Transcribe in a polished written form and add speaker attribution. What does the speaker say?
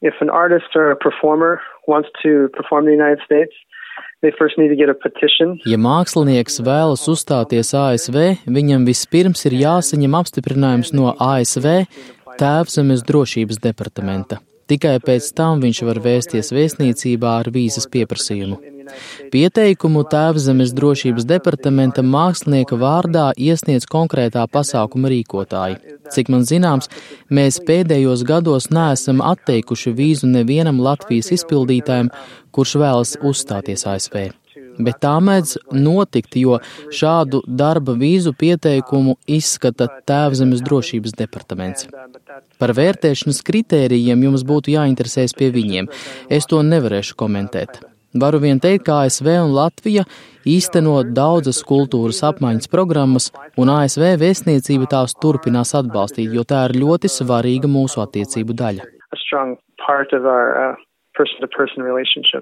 Speaker 1: If an artist or a performer wants to perform in the United States, they first need to get a petition.
Speaker 2: Ja mākslinieks vēlas uzstāties ASV, viņam vispirms ir jāsaņem apstiprinājums no ASV Tēvzemes drošības departamenta. Tikai pēc tam viņš var vēsties vēstniecībā ar vīzas pieprasījumu. Pieteikumu Tēvzemes drošības departamenta mākslinieka vārdā iesniedz konkrētā pasākuma rīkotāji. Cik man zināms, mēs pēdējos gados neesam atteikuši vīzu nevienam Latvijas izpildītājam, kurš vēlas uzstāties ASV. Bet tā mēdz notikt, jo šādu darba vīzu pieteikumu izskata Tēvzemes drošības departaments. Par vērtēšanas kritērijiem jums būtu jāinteresējas pie viņiem. Es to nevarēšu komentēt. Varu vien teikt, ka ASV un Latvija īsteno daudzas kultūras apmaiņas programmas, un ASV vēstniecība tās turpinās atbalstīt, jo tā ir ļoti svarīga mūsu attiecību daļa.
Speaker 1: A strong part of our person-to-person relationship.